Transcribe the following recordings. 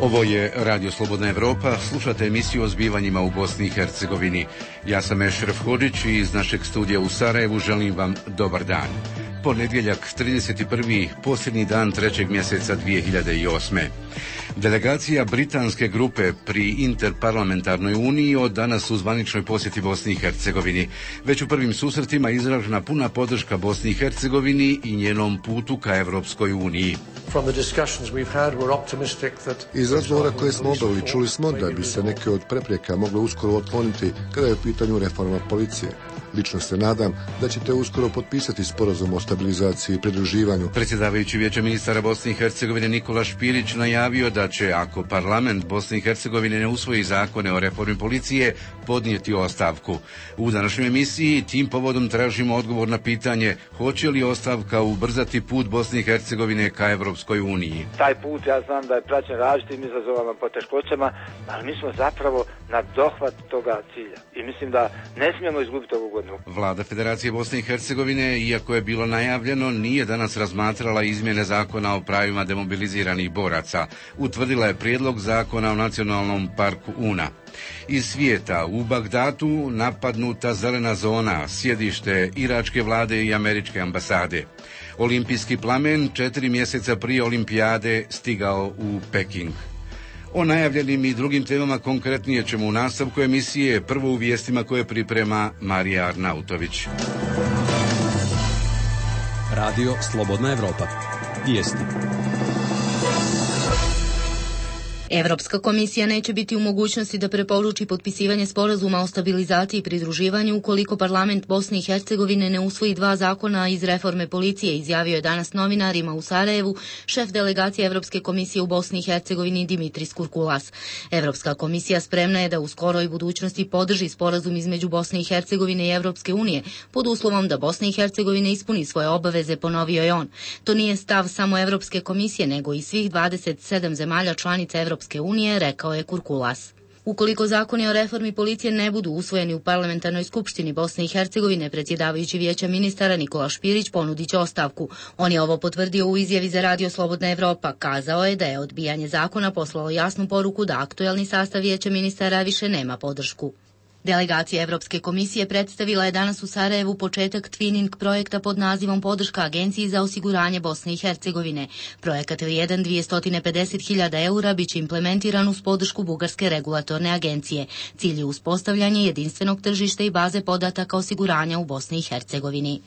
Ovo je Radio Slobodna Evropa, slušate emisiju o zbivanjima u Bosni i Hercegovini. Ja sam Ešref Hodžić i iz našeg studija u Sarajevu želim vam dobar dan. Ponedjeljak, 31. posljednji dan 3. mjeseca 2008. Delegacija britanske grupe pri Interparlamentarnoj uniji od danas u zvaničnoj posjeti Bosni i Hercegovini. Već u prvim susretima izražena puna podrška Bosni i Hercegovini i njenom putu ka Evropskoj uniji. Iz razgovora koje smo obavili čuli smo da bi se neke od prepreka mogle uskoro otkloniti kada je u pitanju reforma policije. Lično se nadam da ćete uskoro potpisati sporazum o stabilizaciji i pridruživanju. Predsjedavajući Vijeća ministara Bosne i Hercegovine Nikola Špirić najavio da će, ako parlament Bosne i Hercegovine ne usvoji zakone o reformi policije, podnijeti ostavku. U današnjoj emisiji tim povodom tražimo odgovor na pitanje hoće li ostavka ubrzati put Bosne i Hercegovine ka Evropskoj uniji. Taj put ja znam da je praćen različitim izazovama, poteškoćama, ali mi smo zapravo na dohvat toga cilja. I mislim da ne smijemo izgubiti ovu godinu. Vlada Federacije Bosne i Hercegovine, iako je bilo najavljeno, nije danas razmatrala izmjene zakona o pravima demobiliziranih boraca. Utvrdila je prijedlog zakona o nacionalnom parku Una. Iz svijeta, u Bagdadu napadnuta zelena zona, sjedište iračke vlade i američke ambasade. Olimpijski plamen 4 mjeseca prije olimpijade stigao u Peking. O najavljenim i drugim temama konkretnije ćemo u nastavku emisije, prvo u vijestima koje priprema Marija Arnautović. Radio Slobodna Evropa. Vijesti. Evropska komisija neće biti u mogućnosti da preporuči potpisivanje sporazuma o stabilizaciji i pridruživanju ukoliko parlament Bosne i Hercegovine ne usvoji 2 zakona iz reforme policije, izjavio je danas novinarima u Sarajevu šef delegacije Evropske komisije u Bosni i Hercegovini Dimitris Kurkulas. Evropska komisija spremna je da u skoroj budućnosti podrži sporazum između Bosne i Hercegovine i Evropske unije pod uslovom da Bosna i Hercegovina ispuni svoje obaveze, ponovio je on. To nije stav samo Evropske komisije nego i svih 27 zemalja članica Evropske unije, rekao je Kurkulas. Ukoliko zakoni o reformi policije ne budu usvojeni u parlamentarnoj skupštini Bosne i Hercegovine, predsjedavajući Vijeća ministara Nikola Špirić ponudit će ostavku. On je ovo potvrdio u izjavi za Radio Slobodna Evropa. Kazao je da je odbijanje zakona poslalo jasnu poruku da aktuelni sastav Vijeća ministara više nema podršku. Delegacija Evropske komisije predstavila je danas u Sarajevu početak twinning projekta pod nazivom Podrška Agenciji za osiguranje Bosne i Hercegovine. Projekat vrijedan 250.000 eura biće implementiran uz podršku Bugarske regulatorne agencije. Cilj je uspostavljanje jedinstvenog tržišta i baze podataka osiguranja u Bosni i Hercegovini.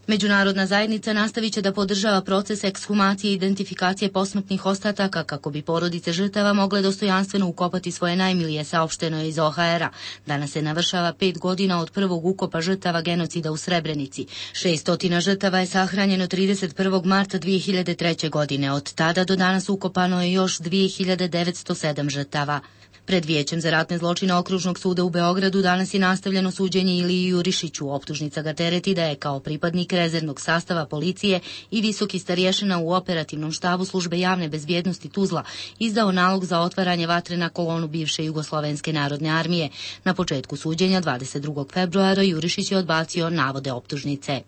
Međunarodna zajednica nastavit će da podržava proces ekshumacije i identifikacije posmrtnih ostataka kako bi porodice žrtava mogle dostojanstveno ukopati svoje najmilije, saopšteno je iz OHR-a. Danas se navršava 5 godina od prvog ukopa žrtava genocida u Srebrenici. 600 žrtava je sahranjeno 31. marta 2003. godine. Od tada do danas ukopano je još 2907 žrtava. Pred Vijećem za ratne zločine Okružnog suda u Beogradu danas je nastavljeno suđenje Iliji Jurišiću. Optužnica ga tereti da je kao pripadnik rezervnog sastava policije i visoki starješina u operativnom štabu službe javne bezbjednosti Tuzla izdao nalog za otvaranje vatre na kolonu bivše Jugoslovenske narodne armije. Na početku suđenja 22. februara Jurišić je odbacio navode optužnice.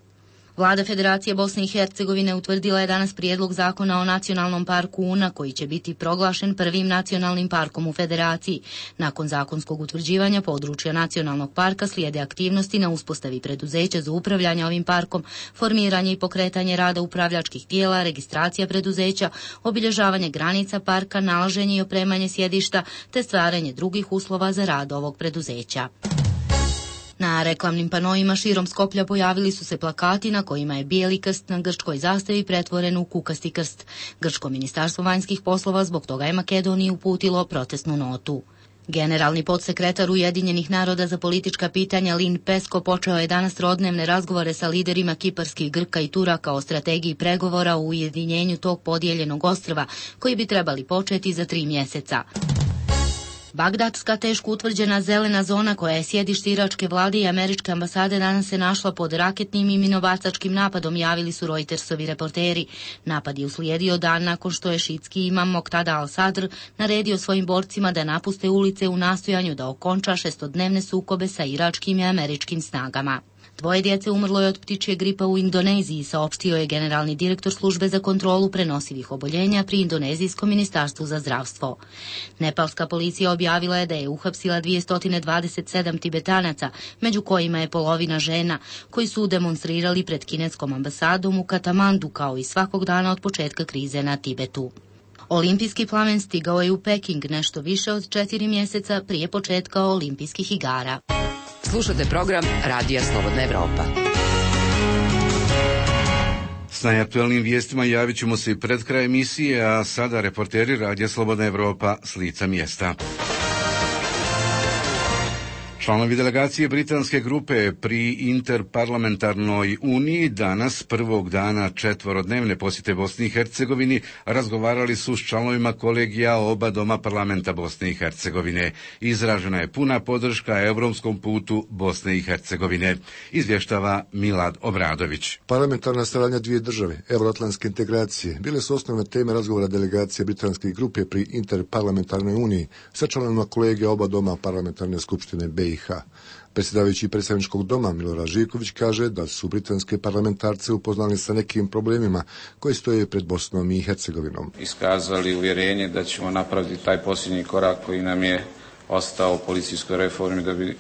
Vlada Federacije Bosne i Hercegovine utvrdila je danas prijedlog zakona o nacionalnom parku Una koji će biti proglašen prvim nacionalnim parkom u Federaciji. Nakon zakonskog utvrđivanja područja nacionalnog parka slijede aktivnosti na uspostavi preduzeća za upravljanje ovim parkom, formiranje i pokretanje rada upravljačkih tijela, registracija preduzeća, obilježavanje granica parka, nalaženje i opremanje sjedišta te stvaranje drugih uslova za rad ovog preduzeća. Na reklamnim panoima širom Skoplja pojavili su se plakati na kojima je bijeli krst na grčkoj zastavi pretvoren u kukasti krst. Grčko ministarstvo vanjskih poslova zbog toga je Makedoniji uputilo protestnu notu. Generalni podsekretar Ujedinjenih naroda za politička pitanja Lin Pesko počeo je danas trodnevne razgovore sa liderima kiparskih Grka i Turaka o strategiji pregovora o ujedinjenju tog podijeljenog ostrva koji bi trebali početi za 3 mjeseca. Bagdadska teško utvrđena zelena zona koja je sjedište iračke vlade i američke ambasade danas se našla pod raketnim i minobacačkim napadom, javili su Reutersovi reporteri. Napad je uslijedio dan nakon što je šiitski imam Moqtada al-Sadr naredio svojim borcima da napuste ulice u nastojanju da okonča 6-dnevne sukobe sa iračkim i američkim snagama. 2 djece umrlo je od ptičje gripa u Indoneziji, saopštio je generalni direktor službe za kontrolu prenosivih oboljenja pri Indonezijskom ministarstvu za zdravstvo. Nepalska policija objavila je da je uhapsila 227 Tibetanaca, među kojima je polovina žena, koji su demonstrirali pred kineskom ambasadom u Katamandu kao i svakog dana od početka krize na Tibetu. Olimpijski plamen stigao je u Peking nešto više od 4 mjeseca prije početka olimpijskih igara. Slušate program Radija Slobodna Evropa. S najaktuelnim vijestima javit ćemo se i pred kraj emisije, a sada reporteri Radija Slobodna Evropa s lica mjesta. Članovi delegacije britanske grupe pri Interparlamentarnoj uniji danas, prvog dana 4-dnevne posjete Bosni i Hercegovini, razgovarali su s članovima kolegija oba doma parlamenta Bosne i Hercegovine. Izražena je puna podrška europskom putu Bosne i Hercegovine, izvještava Milad Obradović. Parlamentarna saradnja dvije države, euroatlantske integracije, bile su osnovne teme razgovora delegacije britanske grupe pri Interparlamentarnoj uniji sa članovima kolegija oba doma parlamentarne skupštine BiH. Predsjedavajući predstavničkog doma Milorad Živković kaže da su britanske parlamentarce upoznali sa nekim problemima koji stoje pred Bosnom i Hercegovinom. Iskazali uvjerenje da ćemo napraviti taj posljednji korak koji nam je ostao u policijskoj reformi da bi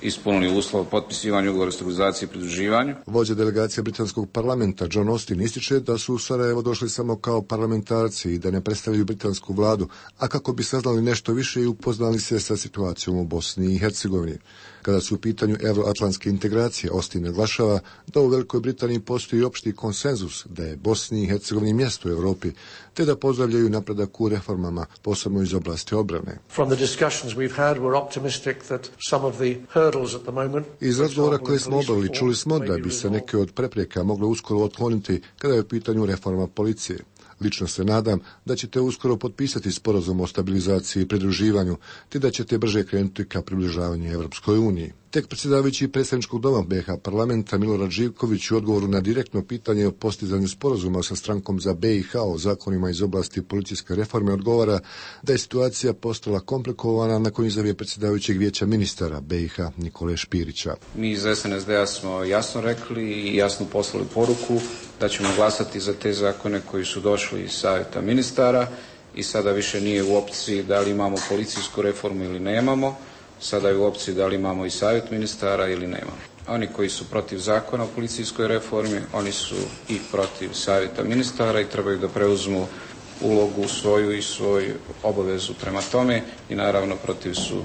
ispunili uslov potpisivanja ugovora o stabilizaciji i pridruživanju. Vođa delegacije britanskog parlamenta John Austin ističe da su u Sarajevo došli samo kao parlamentarci i da ne predstavljaju britansku vladu, a kako bi saznali nešto više i upoznali se sa situacijom u Bosni i Hercegovini. Kada su u pitanju euroatlantske integracije, Austin naglašava da u Velikoj Britaniji postoji opšti konsenzus da je Bosni i Hercegovini mjesto u Europi, te da pozdravljaju napredak u reformama, posebno iz oblasti obrane. Iz razgovora koje smo obavili čuli smo da bi se neke od prepreka mogle uskoro otkloniti kada je u pitanju reforma policije. Lično se nadam da ćete uskoro potpisati sporazum o stabilizaciji i pridruživanju, te da ćete brže krenuti ka približavanju Evropskoj uniji. Tek predsjedavajući predstavničkog doma BiH parlamenta Milorad Živković u odgovoru na direktno pitanje o postizanju sporazuma sa strankom za BiH o zakonima iz oblasti policijske reforme odgovara da je situacija postala komplikovana nakon izjave predsjedavajućeg vijeća ministara BiH Nikole Špirića. Mi iz SNSD-a smo jasno rekli i jasno poslali poruku da ćemo glasati za te zakone koji su došli iz savjeta ministara i sada više nije u opciji da li imamo policijsku reformu ili nemamo. Sada je u opciji da li imamo i savjet ministara ili nemamo. Oni koji su protiv zakona o policijskoj reformi, oni su i protiv savjeta ministara i trebaju da preuzmu ulogu svoju i svoju obavezu prema tome i naravno protiv su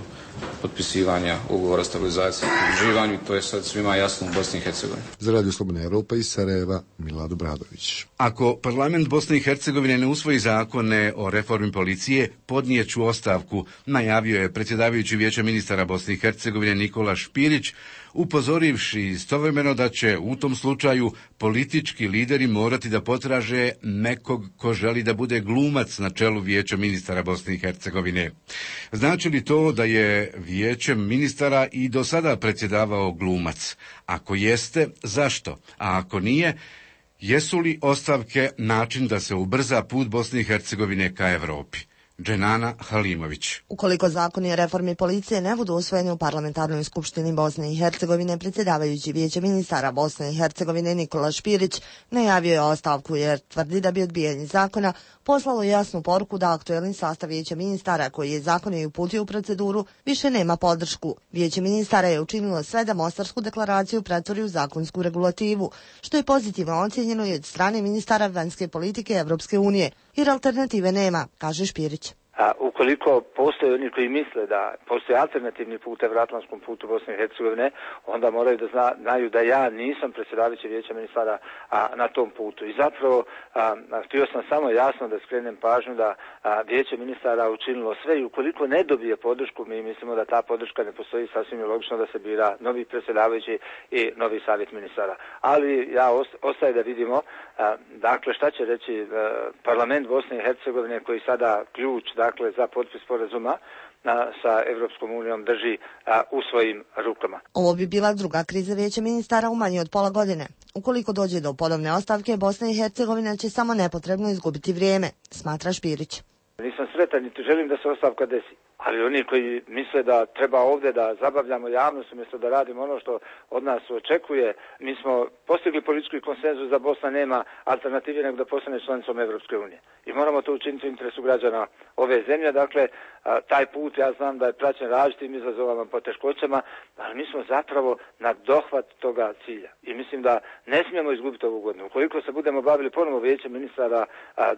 potpisivanja ugovora o stabilizaciji i pridruživanju i to je sad svima jasno u Bosni i Hercegovini. Za Radio Slobodna Evropa iz Sarajeva, Milad Obradović. Ako parlament Bosne i Hercegovine ne usvoji zakone o reformi policije, podnijeću ostavku, najavio je predsjedavajući vijeća ministara Bosne i Hercegovine Nikola Špirić, upozorivši istovremeno da će u tom slučaju politički lideri morati da potraže nekog ko želi da bude glumac na čelu vijeća ministara Bosne i Hercegovine. Znači li to da je vijećem ministara i do sada predsjedavao glumac? Ako jeste, zašto? A ako nije, jesu li ostavke način da se ubrza put Bosne i Hercegovine ka Evropi? Dženana Halimović. Ukoliko zakoni o reformi policije ne budu usvojeni u parlamentarnoj skupštini Bosne i Hercegovine, predsjedavajući vijeće ministara Bosne i Hercegovine Nikola Špirić najavio je ostavku jer tvrdi da bi odbijanje zakona poslalo jasnu poruku da aktuelni sastav vijeća ministara koji je zakon i uputio u proceduru više nema podršku. Vijeće ministara je učinilo sve da Mostarsku deklaraciju pretvori u zakonsku regulativu, što je pozitivno ocjenjeno i od strane ministara vanjske politike Evropske unije, jer alternative nema, kaže Špirić. Ukoliko postoje oni koji misle da postoji alternativni put evroatlantskom putu Bosne i Hercegovine, onda moraju da znaju da ja nisam predsjedavajući vijeća ministara na tom putu. I zapravo htio sam samo jasno da skrenem pažnju da vijeće ministara učinilo sve i ukoliko ne dobije podršku, mi mislimo da ta podrška ne postoji, sasvim je logično da se bira novi predsjedavajući i novi savjet ministara. Ali ja ostaje da vidimo dakle šta će reći parlament Bosne i Hercegovine koji sada ključ dakle za potpis sporazuma sa Evropskom unijom drži u svojim rukama. Ovo bi bila druga kriza vijeća ministara u manje od pola godine. Ukoliko dođe do ponovne ostavke, Bosna i Hercegovina će samo nepotrebno izgubiti vrijeme, smatra Špirić. Nisam sretan niti želim da se ostavka desi. Ali oni koji misle da treba ovdje da zabavljamo javnost umjesto da radimo ono što od nas očekuje, mi smo postigli politički konsenzus da Bosna nema alternative nego da postane članicom Evropske unije. I moramo to učiniti u interesu građana ove zemlje. Dakle, taj put ja znam da je praćen različitim izazovama, poteškoćama, ali mi smo zapravo na dohvat toga cilja. I mislim da ne smijemo izgubiti ovu godinu. Ukoliko se budemo bavili ponovo vijećem ministara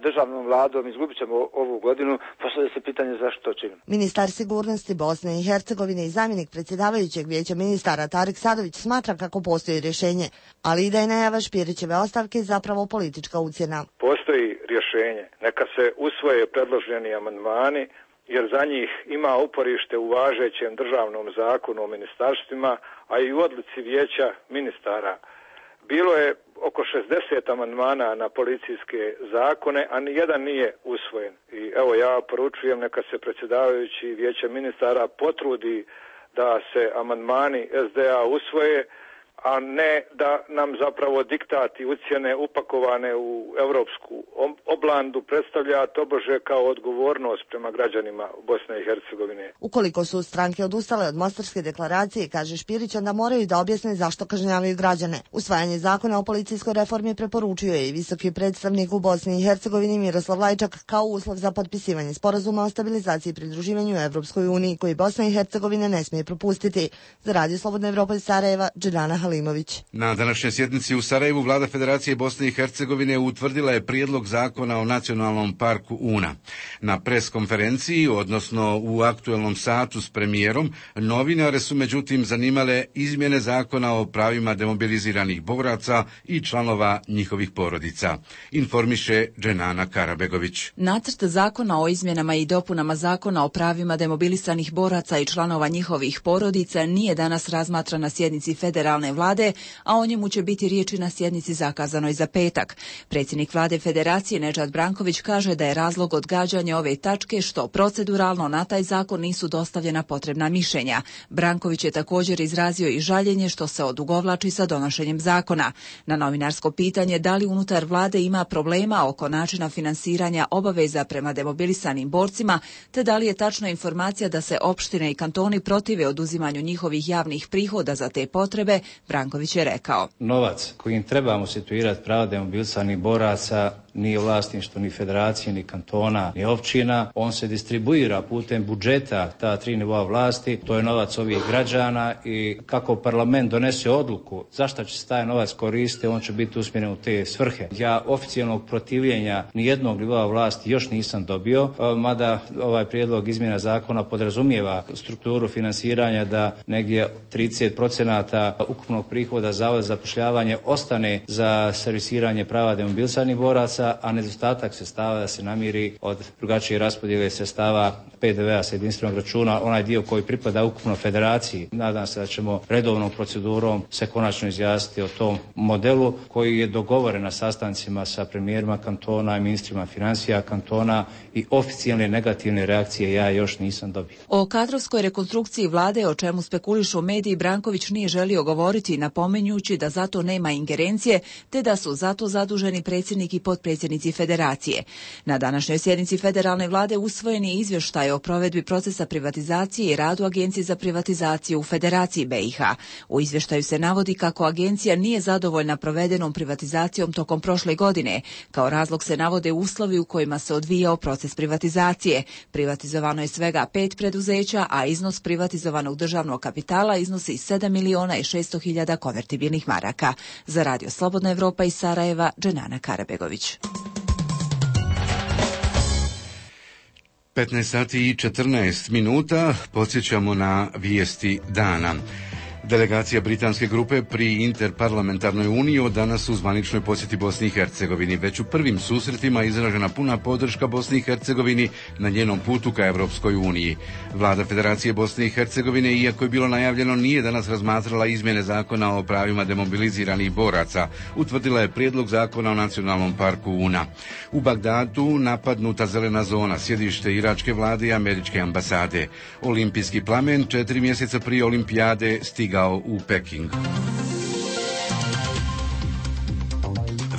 državnom vladom, izgubit ćemo ovu godinu, postavlja se pitanje zašto to činimo. Ministar sigurnosti Bosne i Hercegovine i zamjenik predsjedavajućeg vijeća ministara Tarik Sadović smatra kako postoji rješenje, ali i da je najava Špirićeve ostavke zapravo politička ucjena. Postoji rješenje. Neka se usvoje predloženi amandmani, jer za njih ima uporište u važećem državnom zakonu o ministarstvima, a i u odluci vijeća ministara. Bilo je oko 60 amandmana na policijske zakone, a nijedan nije usvojen. I evo ja poručujem neka se predsjedavajući vijeća ministara potrudi da se amandmani SDA usvoje, a ne da nam zapravo diktati ucjene upakovane u europsku oblandu predstavlja tobože kao odgovornost prema građanima Bosne i Hercegovine. Ukoliko su stranke odustale od Mostarske deklaracije, kaže Špirić, onda moraju da objasne zašto kažnjavaju građane. Usvajanje zakona o policijskoj reformi preporučio je i visoki predstavnik u Bosni i Hercegovini Miroslav Lajčak kao uslov za potpisivanje sporazuma o stabilizaciji i pridruživanju Evropskoj uniji, koji Bosna i Hercegovina ne smije propustiti. Za Radio Slobodna Evropa iz Sarajeva, Dženana Halimović. Na današnjoj sjednici u Sarajevu vlada Federacije Bosne i Hercegovine utvrdila je prijedlog zakona o nacionalnom parku Una. Na preskonferenciji, odnosno u aktuelnom satu s premijerom, novinare su međutim zanimale izmjene zakona o pravima demobiliziranih boraca i članova njihovih porodica. Informiše Dženana Karabegović. Nacrt zakona o izmjenama i dopunama zakona o pravima demobilisanih boraca i članova njihovih porodica nije danas razmatran na sjednici federalne vlade, a o njemu će biti riječi na sjednici zakazanoj za petak. Predsjednik vlade Federacije Nedžad Branković kaže da je razlog odgađanja ove tačke što proceduralno na taj zakon nisu dostavljena potrebna mišljenja. Branković je također izrazio i žaljenje što se odugovlači sa donošenjem zakona. Na novinarsko pitanje da li unutar vlade ima problema oko načina finansiranja obaveza prema demobilisanim borcima, te da li je tačna informacija da se opštine i kantoni protive oduzimanju njihovih javnih prihoda za te potrebe, Branković je rekao: Novac kojim trebamo situirati prava demobilisanih boraca nije vlasništvo ni federacije, ni kantona, ni općina. On se distribuira putem budžeta, ta 3 nivoa vlasti. To je novac ovih građana i kako parlament donese odluku zašto će se taj novac koristiti, on će biti usmjeren u te svrhe. Ja oficijalnog protivljenja nijednog nivoa vlasti još nisam dobio, mada ovaj prijedlog izmjena zakona podrazumijeva strukturu finansiranja da negdje 30% ukupnog prihoda Zavoda za zapošljavanje ostane za servisiranje prava demobilisanih boraca, a nedostatak sredstava da se namiri od drugačije raspodjele sredstava PDV-a sa jedinstvenog računa, onaj dio koji pripada ukupno federaciji. Nadam se da ćemo redovnom procedurom se konačno izjasniti o tom modelu koji je dogovoren na sastancima sa premijerima kantona i ministrima financija kantona i oficijalne negativne reakcije ja još nisam dobio. O kadrovskoj rekonstrukciji vlade, o čemu spekulišu mediji, Branković nije želio govoriti, napominjući da zato nema ingerencije, te da su zato zaduženi predsjednik i potpredsjednici Federacije. Na današnjoj sjednici federalne vlade usvojen je izvještaj o provedbi procesa privatizacije i radu Agencije za privatizaciju u Federaciji BiH. U izvještaju se navodi kako agencija nije zadovoljna provedenom privatizacijom tokom prošle godine. Kao razlog se navode uslovi u kojima se odvijao proces privatizacije. Privatizovano je svega 5 preduzeća, a iznos privatizovanog državnog kapitala iznosi 7.600.000 konvertibilnih maraka. Za Radio Slobodna Evropa iz Sarajeva, Dženana Karabegović. 15 sati i 14 minuta, podsjećamo na vijesti dana. Delegacija britanske grupe pri Interparlamentarnoj uniji od danas u zvaničnoj posjeti Bosni i Hercegovini. Već u prvim susretima izražena puna podrška Bosni i Hercegovini na njenom putu ka Evropskoj uniji. Vlada Federacije Bosne i Hercegovine, iako je bilo najavljeno, nije danas razmatrala izmjene zakona o pravima demobiliziranih boraca. Utvrdila je prijedlog zakona o nacionalnom parku Una. U Bagdadu napadnuta zelena zona, sjedište iračke vlade i američke ambasade. Olimpijski plamen 4 mjeseca prije olimpijade stigao u Peking.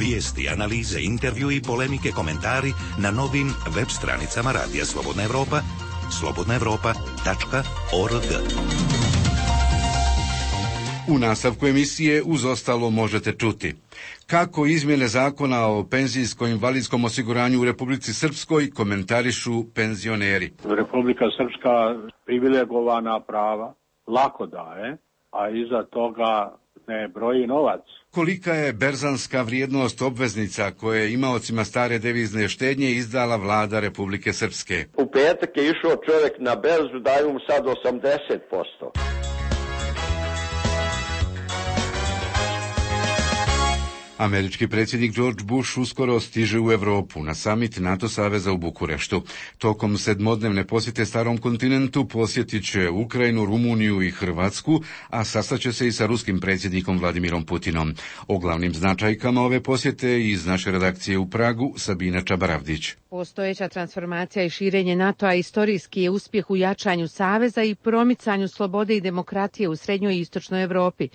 Vijesti, analize, intervju i polemike, komentari na novim web stranicama Radija Slobodna Evropa, slobodnaevropa.org. U nastavku emisije uz ostalo možete čuti kako izmjene zakona o penzijsko-invalidskom osiguranju u Republici Srpskoj komentarišu penzioneri. Republika Srpska privilegovana prava lako daje, a iza toga ne broji novac. Kolika je berzanska vrijednost obveznica koje je imaocima stare devizne štednje izdala vlada Republike Srpske? U petak je išao čovjek na berzu, daju mu sad 80%. Američki predsjednik George Bush uskoro stiže u Europu na samit NATO saveza u Bukureštu. Tokom 7-dnevne posjete starom kontinentu posjetit će Ukrajinu, Rumuniju i Hrvatsku, a sastaće se i sa ruskim predsjednikom Vladimirom Putinom. O glavnim značajkama ove posjete iz naše redakcije u Pragu Sabina Čabaravdić. Postojeća transformacija i širenje NATO-a istorijski je uspjeh u jačanju saveza i promicanju slobode i demokratije u srednjoj i istočnoj Europi.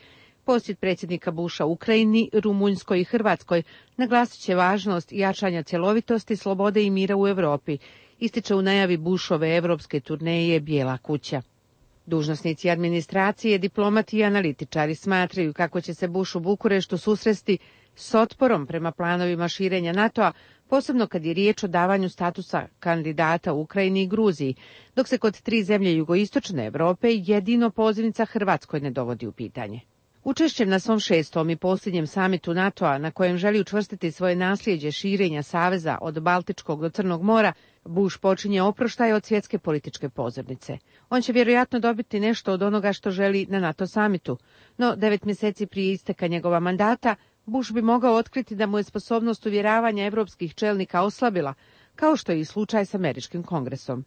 Posjet predsjednika Busha Ukrajini, Rumunjskoj i Hrvatskoj naglasit će važnost jačanja cjelovitosti, slobode i mira u Europi, ističe u najavi Bushove evropske turneje Bijela kuća. Dužnosnici administracije, diplomati i analitičari smatraju kako će se Bush u Bukureštu susresti s otporom prema planovima širenja NATO-a, posebno kad je riječ o davanju statusa kandidata u Ukrajini i Gruziji, dok se kod 3 zemlje jugoistočne Europe jedino pozivnica Hrvatskoj ne dovodi u pitanje. Učešćem na svom 6. i posljednjem samitu NATO-a, na kojem želi učvrstiti svoje nasljeđe širenja saveza od Baltičkog do Crnog mora, Bush počinje oproštaj od svjetske političke pozornice. On će vjerojatno dobiti nešto od onoga što želi na NATO samitu, no 9 mjeseci prije isteka njegova mandata, Bush bi mogao otkriti da mu je sposobnost uvjeravanja evropskih čelnika oslabila, kao što je i slučaj s američkim kongresom.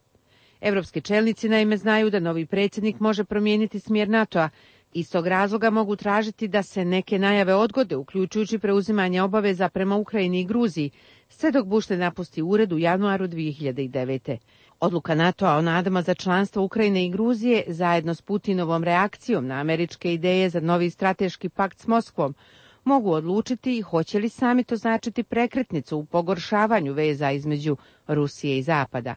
Evropski čelnici naime znaju da novi predsjednik može promijeniti smjer NATO-a. Iz tog razloga mogu tražiti da se neke najave odgode, uključujući preuzimanje obaveza prema Ukrajini i Gruziji, sve dok Bush ne napusti ured u januaru 2009. Odluka NATO-a o nadama za članstvo Ukrajine i Gruzije, zajedno s Putinovom reakcijom na američke ideje za novi strateški pakt s Moskvom, mogu odlučiti i hoće li samit označiti prekretnicu u pogoršavanju veza između Rusije i Zapada.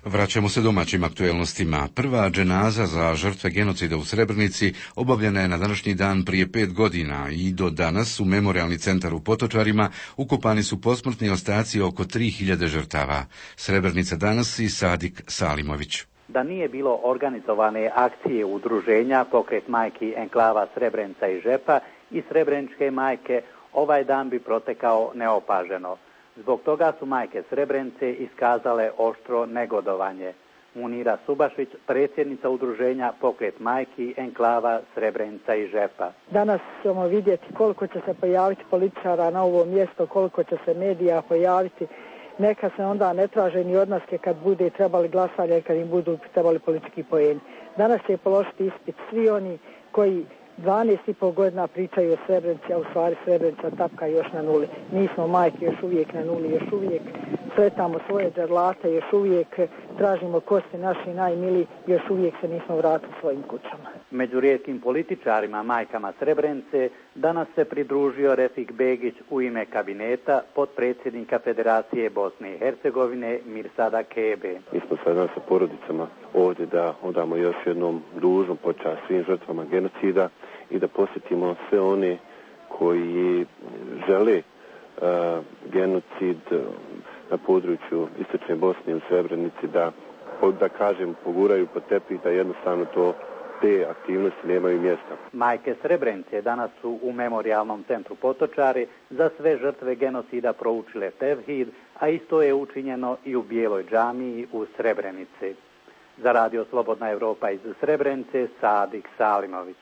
Vraćamo se domaćim aktuelnostima. Prva dženaza za žrtve genocida u Srebrenici obavljena je na današnji dan prije 5 godina i do danas u Memorialni centar u Potočarima ukopani su posmrtni ostaci oko 3000 žrtava. Srebrenica danas i Sadik Salimović. Da nije bilo organizovane akcije udruženja Pokret majki enklava Srebrenica i Žepa i Srebreničke majke, ovaj dan bi protekao neopaženo. Zbog toga su majke Srebrenice iskazale oštro negodovanje. Munira Subašić, predsjednica udruženja Pokret majki enklava Srebrenica i Žepa. Danas ćemo vidjeti koliko će se pojaviti političara na ovo mjesto, koliko će se medija pojaviti. Neka se onda ne traže ni odnaske kad bude trebali glasanje, kad im budu trebali politički poeni. Danas će položiti ispit svi oni koji 12,5 godina pričaju o Srebrenici, a u stvari Srebrenica tapka još na nuli. Mi smo majke još uvijek na nuli, još uvijek sretamo svoje džarlate, još uvijek tražimo kosti naši najmili, još uvijek se nismo vratili svojim kućama. Među rijetkim političarima, majkama Srebrenice, danas se pridružio Refik Begić u ime kabineta potpredsjednika Federacije Bosne i Hercegovine Mirsada Kebe. Mi smo sada sa porodicama ovdje da odamo još jednom dužnu počast svim žrtvama genocida i da posjetimo sve one koji žele genocid na području istočne Bosne u Srebrenici da kažem poguraju pod tepih, da jednostavno te aktivnosti nemaju mjesta. Majke Srebrenice danas su u Memorialnom centru Potočari za sve žrtve genocida proučile tevhid, a isto je učinjeno i u Bijeloj džamiji u Srebrenici. Za Radio Slobodna Evropa iz Srebrenice, Sadik Salimović.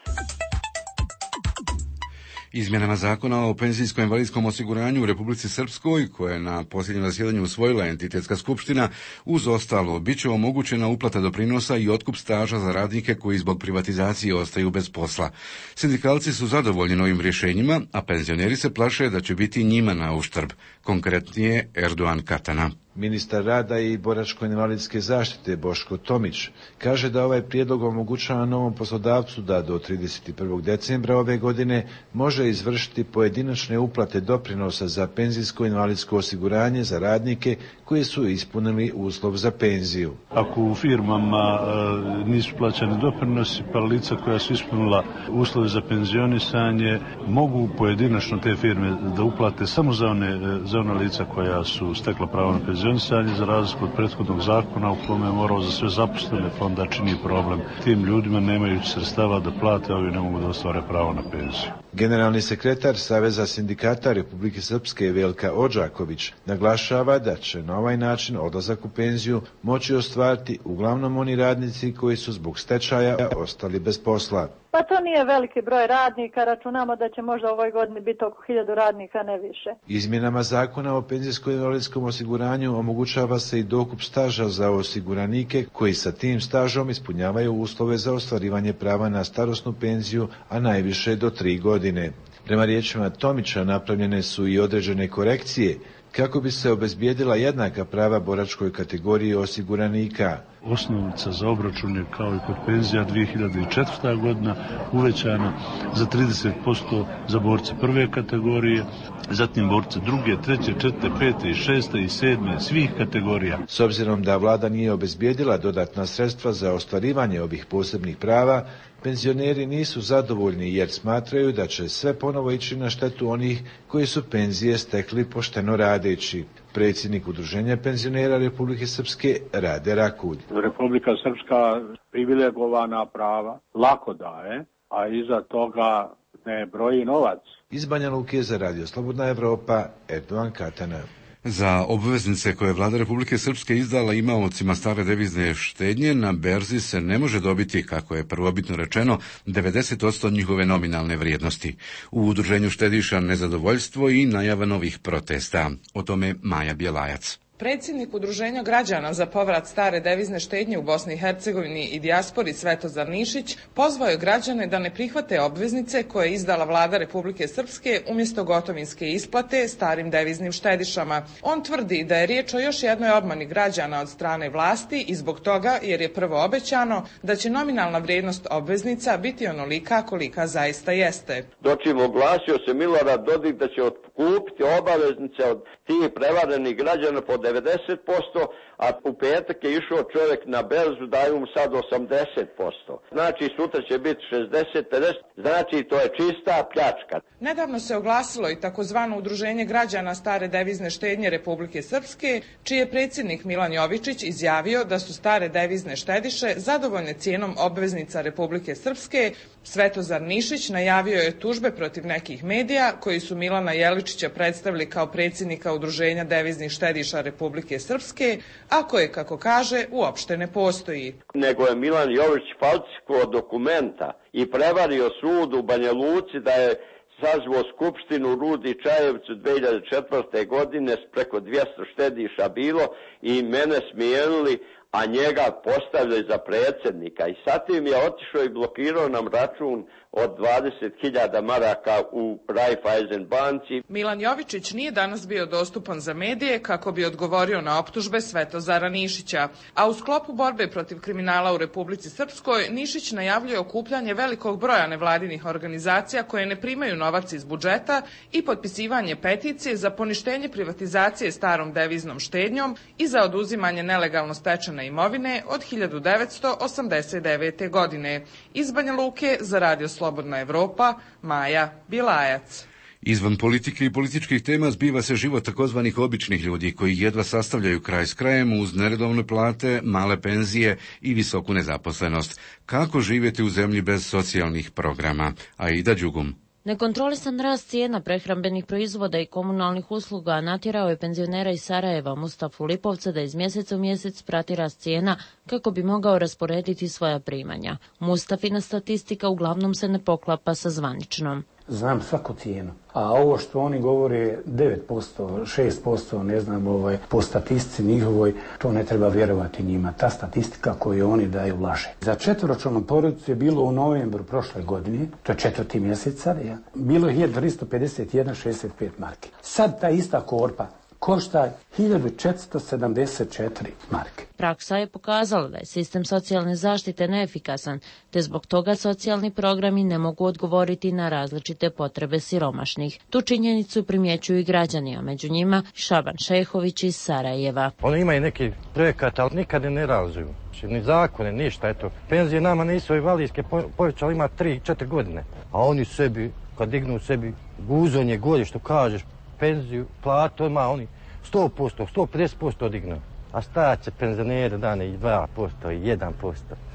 Izmjenama zakona o penzijsko-invalidskom osiguranju u Republici Srpskoj, koje je na posljednjem zasjedanju usvojila entitetska skupština, uz ostalo bit će omogućena uplata doprinosa i otkup staža za radnike koji zbog privatizacije ostaju bez posla. Sindikalci su zadovoljni novim rješenjima, a penzioneri se plaše da će biti njima na uštrb. Konkretnije Erdogan Katana. Ministar rada i boračko-invalidske zaštite Boško Tomić kaže da ovaj prijedlog omogućava novom poslodavcu da do 31. decembra ove godine može izvršiti pojedinačne uplate doprinosa za penzijsko-invalidsko osiguranje za radnike koji su ispunili uslov za penziju. Ako u firmama nisu plaćani doprinosi, pa lica koja su ispunila uslove za penzionisanje mogu pojedinačno te firme da uplate samo za ona lica koja su stekla pravo na penzionisanje, za razliku od prethodnog zakona u kome je morao za sve zaposlene, pa onda čini problem. Tim ljudima nemajući sredstava da plate, ovi ne mogu da ostvare pravo na penziju. Generalni sekretar Saveza sindikata Republike Srpske Velka Odžaković naglašava da će na ovaj način odlazak u penziju moći ostvariti uglavnom oni radnici koji su zbog stečaja ostali bez posla. Pa to nije veliki broj radnika, računamo da će možda u ovoj godini biti oko 1000 radnika, ne više. Izmjenama zakona o penzijsko-invalidskom osiguranju omogućava se i dokup staža za osiguranike koji sa tim stažom ispunjavaju uslove za ostvarivanje prava na starosnu penziju, a najviše do 3 godine. Prema riječima Tomića napravljene su i određene korekcije kako bi se obezbijedila jednaka prava boračkoj kategoriji osiguranika. Osnovica za obračun je kao i kod penzija 2004. godina uvećana za 30% za borce prve kategorije, zatim borce druge, treće, četvrte, pete i šeste i sedme, svih kategorija. S obzirom da vlada nije obezbijedila dodatna sredstva za ostvarivanje ovih posebnih prava, penzioneri nisu zadovoljni jer smatraju da će sve ponovo ići na štetu onih koji su penzije stekli pošteno radeći. Predsjednik Udruženja penzionera Republike Srpske Rade Rakulj. Republika Srpska privilegovana prava lako daje, a iza toga ne broji novac. Iz Banja Luke za Radio Slobodna Evropa, Erdogan Katana. Za obveznice koje je vlada Republike Srpske izdala imaocima stare devizne štednje na berzi se ne može dobiti, kako je prvobitno rečeno, 90% njihove nominalne vrijednosti. U udruženju štediša nezadovoljstvo i najava novih protesta. O tome Maja Bjelajac. Predsjednik Udruženja građana za povrat stare devizne štednje u Bosni i Hercegovini i dijaspori Svetozar Nišić pozvao je građane da ne prihvate obveznice koje je izdala vlada Republike Srpske umjesto gotovinske isplate starim deviznim štedišama. On tvrdi da je riječ o još jednoj obmani građana od strane vlasti i zbog toga jer je prvo obećano da će nominalna vrijednost obveznica biti onolika kolika zaista jeste. Dočim oglasio se Milorad Dodik da će otkupiti obaveznice od tih prevarenih građana po 90%, a u petak je išao čovjek na berzu, daju mu sad 80%. Znači sutra će biti 60-50, znači to je čista pljačka. Nedavno se oglasilo i takozvano Udruženje građana stare devizne štednje Republike Srpske, čiji je predsjednik Milan Jovičić izjavio da su stare devizne štediše zadovoljne cijenom obveznica Republike Srpske. Svetozar Nišić najavio je tužbe protiv nekih medija koji su Milana Jeličića predstavili kao predsjednika Udruženja deviznih štediša Republike Srpske, a koje, kako kaže, uopšte ne postoji. Nego je Milan Jović falsifikovao dokumenta i prevario sud u Banja Luci da je sazvao skupštinu u Rudi Čajevcu 2004. godine, preko 200 štediša bilo i mene smijenili, a njega postavljaju za predsjednika. I sad im je otišao i blokirao nam račun od 20.000 maraka u Raiffeisen banci. Milan Jovičić nije danas bio dostupan za medije kako bi odgovorio na optužbe Svetozara Nišića. A u sklopu borbe protiv kriminala u Republici Srpskoj, Nišić najavljuje okupljanje velikog broja nevladinih organizacija koje ne primaju novac iz budžeta i potpisivanje peticije za poništenje privatizacije starom deviznom štednjom i za oduzimanje nelegalno stečene imovine od 1989. godine. Iz Banja Luke za Radio Slobodna Evropa, Maja Bilajac. Izvan politike i političkih tema zbiva se život takozvanih običnih ljudi koji jedva sastavljaju kraj s krajem uz neredovne plate, male penzije i visoku nezaposlenost. Kako živjeti u zemlji bez socijalnih programa? Aida Đugum. Nekontrolisan rast cijena prehrambenih proizvoda i komunalnih usluga natjerao je penzionera iz Sarajeva Mustafu Lipovca da iz mjeseca u mjesec prati rast cijena kako bi mogao rasporediti svoja primanja. Mustafina statistika uglavnom se ne poklapa sa zvaničnom. Znam svaku cijenu, a ovo što oni govore 9%, 6%, ne znam, po statistici njihovoj, to ne treba vjerovati njima. Ta statistika koju oni daju laže. Za četvoročlanu porodicu je bilo u novembru prošle godine, to je 4. mjeseca, bilo je 1351,65 marke. Sad ta ista korpa košta 1474 marke. Praksa je pokazala da je sistem socijalne zaštite neefikasan, te zbog toga socijalni programi ne mogu odgovoriti na različite potrebe siromašnih. Tu činjenicu primjećuju i građani, a među njima Šaban Šehović iz Sarajeva. Oni imaju neki projekat, ali nikad ne realizuju. Ni zakone, ništa, eto. Penzije nama nisu invalidske povećali, ima 3-4 godine. A oni sebi, kad dignu sebi guzonje golje, što kažeš, penziju, platu, ima oni 100%, 150% dignu. A stajat će penzionere dane i 2% i 1%.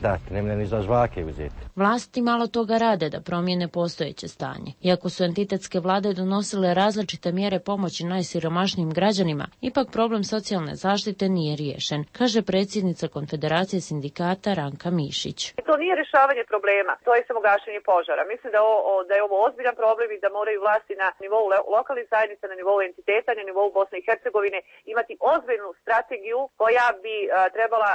Date, ne ni za žvake uzeti. Vlasti malo toga rade da promijene postojeće stanje. Iako su entitetske vlade donosile različite mjere pomoći najsiromašnijim građanima, ipak problem socijalne zaštite nije riješen, kaže predsjednica Konfederacije sindikata Ranka Mišić. To nije rješavanje problema, to je samo gašenje požara. Mislim da je ovo ozbiljan problem i da moraju vlasti na nivou lokalnih zajednica, na nivou entiteta, na nivou Bosne i Hercegovine imati ozbiljnu strategiju koja bi trebala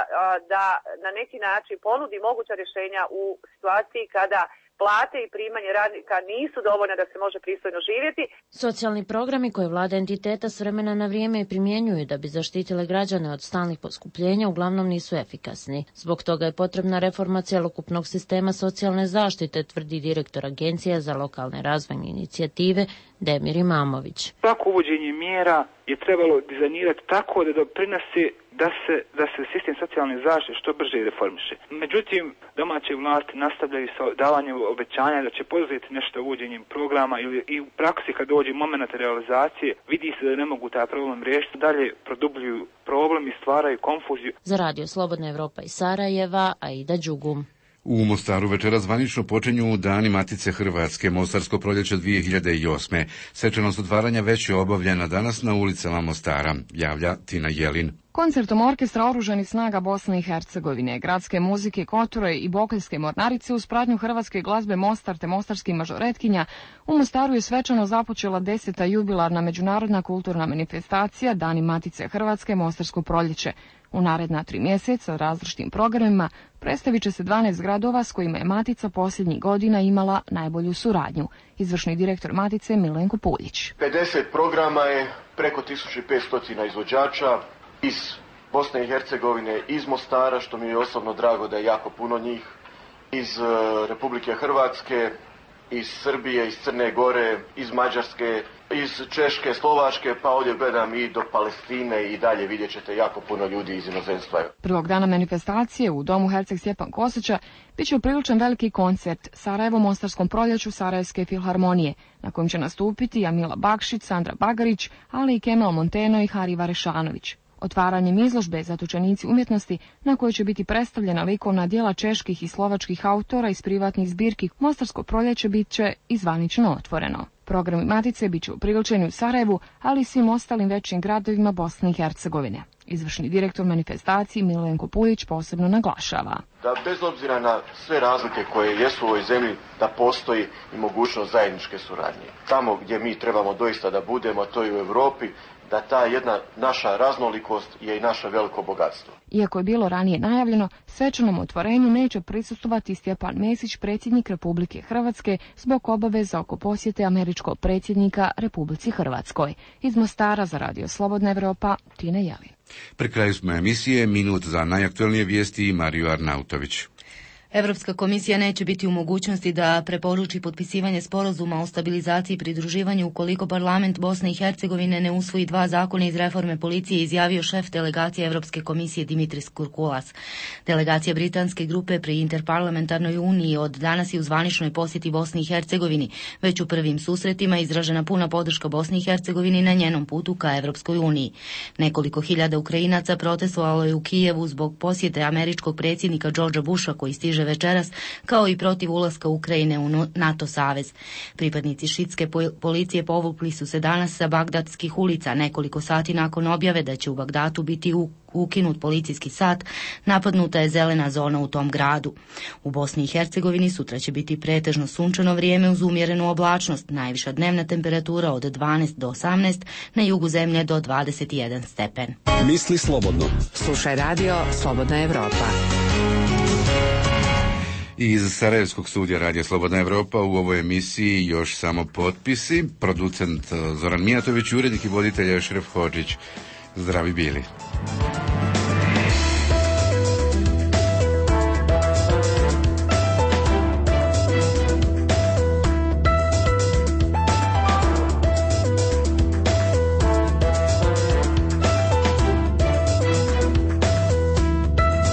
da na neki način ponudi moguća rješenja u situaciji kada plate i primanje radnika nisu dovoljne da se može pristojno živjeti. Socijalni programi koje vlada entiteta s vremena na vrijeme primjenjuju da bi zaštitile građane od stalnih poskupljenja uglavnom nisu efikasni. Zbog toga je potrebna reforma cjelokupnog sistema socijalne zaštite, tvrdi direktor Agencija za lokalne razvojne inicijative Demir Imamović. Svako uvođenje mjera je trebalo dizajnirati tako da doprinose da se sistem socijalne zaštite što brže reformiše. Međutim, domaće vlasti nastavljaju sa davanjem obećanja da će poduzeti nešto uvođenjem programa i u praksi kad dođe moment realizacije vidi se da ne mogu taj problem riješiti, dalje produbljuju problem i stvaraju konfuziju. Za radio Slobodna Evropa iz Sarajeva, Aida Đugum. U Mostaru večeras zvanično počinju Dani Matice Hrvatske, Mostarsko proljeće 2008. Svečanost otvaranja već je obavljena danas na ulicama Mostara, javlja Tina Jelin. Koncertom orkestra Oružanih snaga Bosne i Hercegovine, gradske muzike Koture i Bokeljske mornarice uz pratnju hrvatske glazbe Mostar te mostarskih mažoretkinja, u Mostaru je svečano započela 10. jubilarna međunarodna kulturna manifestacija Dani Matice Hrvatske, Mostarsko proljeće. U naredna 3 mjeseca različitim programima predstavit će se 12 gradova s kojima je Matica posljednjih godina imala najbolju suradnju. Izvršni direktor Matice Milenko Puljić. 50 programa je, preko 1500 izvođača iz Bosne i Hercegovine, iz Mostara, što mi je osobno drago da je jako puno njih, iz Republike Hrvatske, iz Srbije, iz Crne Gore, iz Mađarske, iz Češke, Slovačke, pa ovdje gledam i do Palestine i dalje vidjet ćete jako puno ljudi iz inozemstva. Prvog dana manifestacije u domu Herceg Stjepan Kosača bit će upriličen veliki koncert Sarajevo Mostarskom proljeću Sarajevske filharmonije, na kojem će nastupiti Jamila Bakšić, Sandra Bagarić, ali i Kemal Monteno i Hari Varešanović. Otvaranjem izložbe Zatočenici umjetnosti, na kojoj će biti predstavljena likovna djela čeških i slovačkih autora iz privatnih zbirki, Mostarsko proljeće bit će i zvanično otvoreno. Programi Matice bit će upriličeni u Sarajevu, ali i svim ostalim većim gradovima Bosne i Hercegovine. Izvršni direktor manifestacije Milenko Puljić posebno naglašava da bez obzira na sve razlike koje jesu u ovoj zemlji, da postoji i mogućnost zajedničke suradnje. Tamo gdje mi trebamo doista da budemo, to je u Europi, da ta jedna naša raznolikost je i naše veliko bogatstvo. Iako je bilo ranije najavljeno, svečanom otvorenju neće prisustvovati Stjepan Mesić, predsjednik Republike Hrvatske, zbog obaveza oko posjete američkog predsjednika Republici Hrvatskoj. Iz Mostara za radio Slobodna Evropa, Tina Jelin. Pri kraju smo emisije, minut za najaktualnije vijesti i Mariju Arnautović. Europska komisija neće biti u mogućnosti da preporuči potpisivanje sporazuma o stabilizaciji i pridruživanju ukoliko parlament Bosne i Hercegovine ne usvoji 2 zakona iz reforme policije, izjavio šef delegacije Europske komisije Dimitris Kurkulas. Delegacija britanske grupe pri Interparlamentarnoj uniji od danas je u zvaničnoj posjeti Bosni i Hercegovini. Već u prvim susretima izražena puna podrška Bosni i Hercegovini na njenom putu ka Europskoj uniji. Nekoliko hiljada Ukrajinaca protestovalo je u Kijevu zbog posjete američkog predsjednika Georgea Busha koji stiže večeras, kao i protiv ulaska Ukrajine u NATO savez. Pripadnici šitske policije povukli su se danas sa bagdadskih ulica nekoliko sati nakon objave da će u Bagdatu biti ukinut policijski sat, napadnuta je zelena zona u tom gradu. U Bosni i Hercegovini sutra će biti pretežno sunčano vrijeme uz umjerenu oblačnost, najviša dnevna temperatura od 12 do 18, na jugu zemlje do 21 stepen. Misli slobodno. Slušaj radio Slobodna Evropa. Iz Sarajevskog studija Radija Slobodna Evropa u ovoj emisiji još samo potpisi. Producent Zoran Mijatović, urednik i voditelj Šref Hodžić. Zdravi bili.